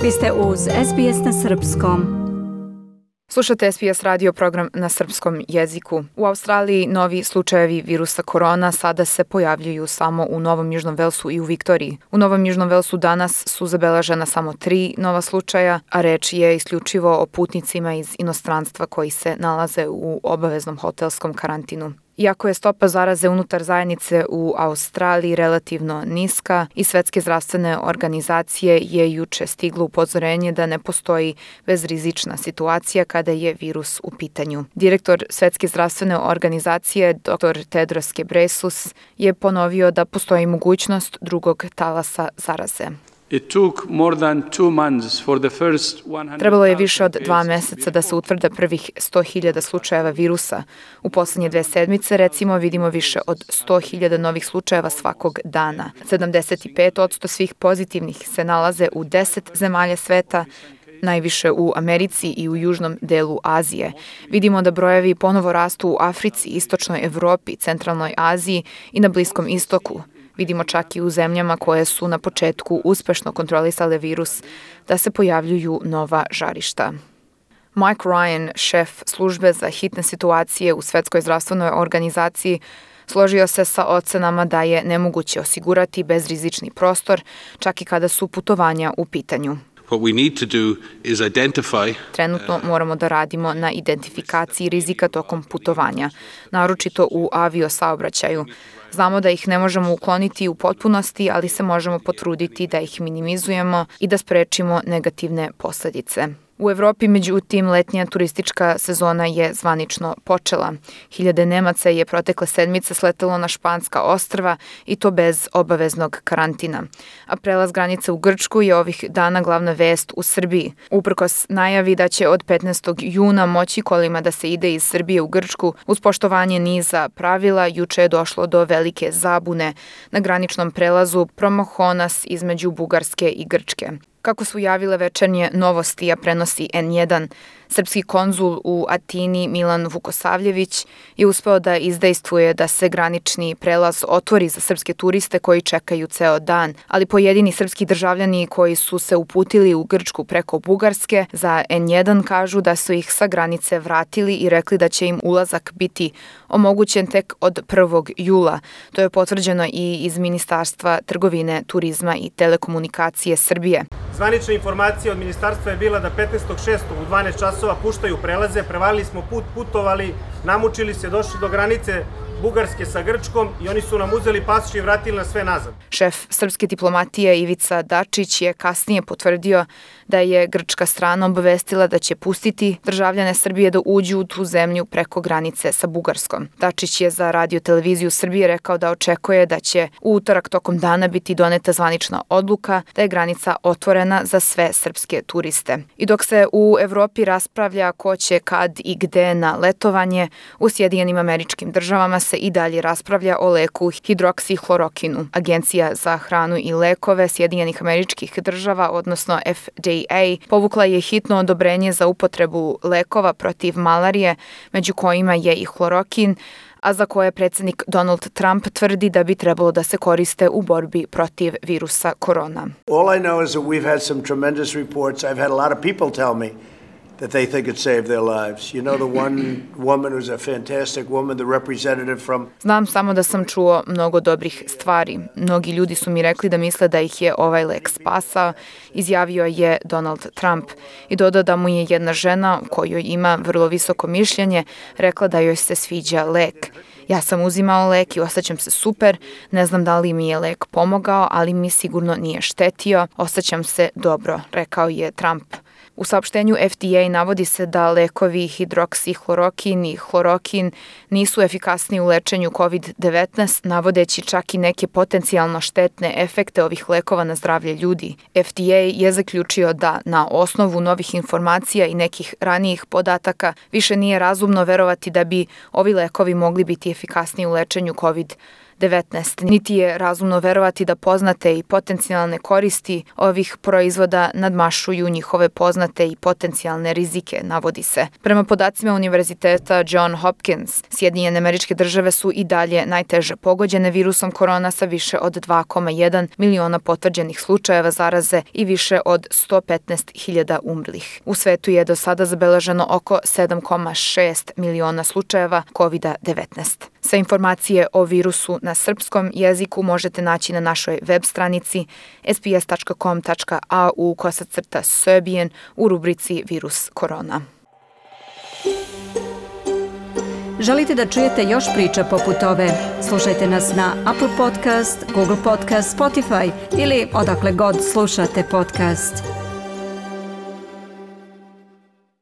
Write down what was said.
Vi ste uz SBS na Srpskom. Slušate SBS radio program na srpskom jeziku. U Australiji novi slučajevi virusa korona sada se pojavljuju samo u Novom Južnom Velsu i u Viktoriji. U Novom Južnom Velsu danas su zabeležena samo 3 nova slučaja, a reč je isključivo o putnicima iz inostranstva koji se nalaze u obaveznom hotelskom karantinu. Iako je stopa zaraze unutar zajednice u Australiji relativno niska, i Svetske zdravstvene organizacije je juče stiglo upozorenje da ne postoji bezrizična situacija kada je virus u pitanju. Direktor Svetske zdravstvene organizacije, dr. Tedros Ghebreyesus, je ponovio da postoji mogućnost drugog talasa zaraze. Trebalo je više od 2 meseca da se utvrde prvih 100.000 slučajeva virusa. U poslednje 2 sedmice, recimo, vidimo više od 100.000 novih slučajeva svakog dana. 75% svih pozitivnih se nalaze u 10 zemalja sveta, najviše u Americi i u južnom delu Azije. Vidimo da brojevi ponovo rastu u Africi, Istočnoj Evropi, Centralnoj Aziji i na Bliskom istoku. Vidimo čak i u zemljama koje su na početku uspešno kontrolisale virus da se pojavljuju nova žarišta. Mike Ryan, šef službe za hitne situacije u Svetskoj zdravstvenoj organizaciji, složio se sa ocenama da je nemoguće osigurati bezrizični prostor, čak i kada su putovanja u pitanju. Trenutno moramo da radimo na identifikaciji rizika tokom putovanja, naročito u aviosaobraćaju. Znamo da ih ne možemo ukloniti u potpunosti, ali se možemo potruditi da ih minimizujemo i da sprečimo negativne posledice. U Evropi, međutim, letnja turistička sezona je zvanično počela. Hiljade Nemaca je protekle sedmice sletelo na Španska ostrva i to bez obaveznog karantina. A prelaz granice u Grčku je ovih dana glavna vest u Srbiji. Uprkos najavi da će od 15. juna moći kolima da se ide iz Srbije u Grčku, uz poštovanje niza pravila, juče je došlo do velike zabune na graničnom prelazu Promohonas između Bugarske i Grčke. Kako su javile Večernje novosti, a prenosi N1, srpski konzul u Atini Milan Vukosavljević je uspeo da izdejstvuje da se granični prelaz otvori za srpske turiste koji čekaju ceo dan, ali pojedini srpski državljani koji su se uputili u Grčku preko Bugarske za N1 kažu da su ih sa granice vratili i rekli da će im ulazak biti omogućen tek od 1. jula. To je potvrđeno i iz Ministarstva trgovine, turizma i telekomunikacije Srbije. Zvanična informacija od ministarstva je bila da 15.6. u 12 časova puštaju prelaze, prevalili smo put, putovali, namučili se, došli do granice Bugarske sa Grčkom i oni su nam uzeli pasoš i vratili nas sve nazad. Šef srpske diplomatije Ivica Dačić je kasnije potvrdio da je grčka strana obavestila da će pustiti državljane Srbije da uđu u tu zemlju preko granice sa Bugarskom. Dačić je za Radio televiziju Srbije rekao da očekuje da će u utorak tokom dana biti doneta zvanična odluka da je granica otvorena za sve srpske turiste. I dok se u Evropi raspravlja ko će kad i gde na letovanje, u Sjedinjenim Američkim Državama se i dalje raspravlja o leku hidroksihlorokinu. Agencija za hranu i lekove Sjedinjenih Američkih Država, odnosno FDA, povukla je hitno odobrenje za upotrebu lekova protiv malarije, među kojima je i hlorokin, a za koje predsjednik Donald Trump tvrdi da bi trebalo da se koriste u borbi protiv virusa korona. All I know is that we've had some tremendous reports. I've had a lot of people tell me that they think it saved their lives. You know, the one woman who's a fantastic woman, the representative from... Znam samo da sam čuo mnogo dobrih stvari. Mnogi ljudi su mi rekli da misle da ih je ovaj lek spasao, izjavio je Donald Trump. I dodao da mu je jedna žena, kojoj ima vrlo visoko mišljenje, rekla da joj se sviđa lek. Ja sam uzimao lek i osjećam se super, ne znam da li mi je lek pomogao, ali mi sigurno nije štetio, osjećam se dobro, rekao je Trump. U saopštenju FDA navodi se da lekovi hidroksihlorokin i hlorokin nisu efikasni u lečenju COVID-19, navodeći čak i neke potencijalno štetne efekte ovih lekova na zdravlje ljudi. FDA je zaključio da na osnovu novih informacija i nekih ranijih podataka više nije razumno verovati da bi ovi lekovi mogli biti efikasni u lečenju COVID-19. COVID-19. Niti je razumno verovati da poznate i potencijalne koristi ovih proizvoda nadmašuju njihove poznate i potencijalne rizike, navodi se. Prema podacima Univerziteta John Hopkins, Sjedinjene Američke Države su i dalje najteže pogođene virusom korona sa više od 2,1 miliona potvrđenih slučajeva zaraze i više od 115.000 umrlih. U svetu je do sada zabeleženo oko 7,6 miliona slučajeva COVID-19. Sve informacije o virusu na srpskom jeziku možete naći na našoj web stranici sbs.com.au/Serbian u rubrici Virus korona. Želite da čujete još priča poput ove? Slušajte nas na Apple Podcast, Google Podcast, Spotify ili odakle god slušate podcast.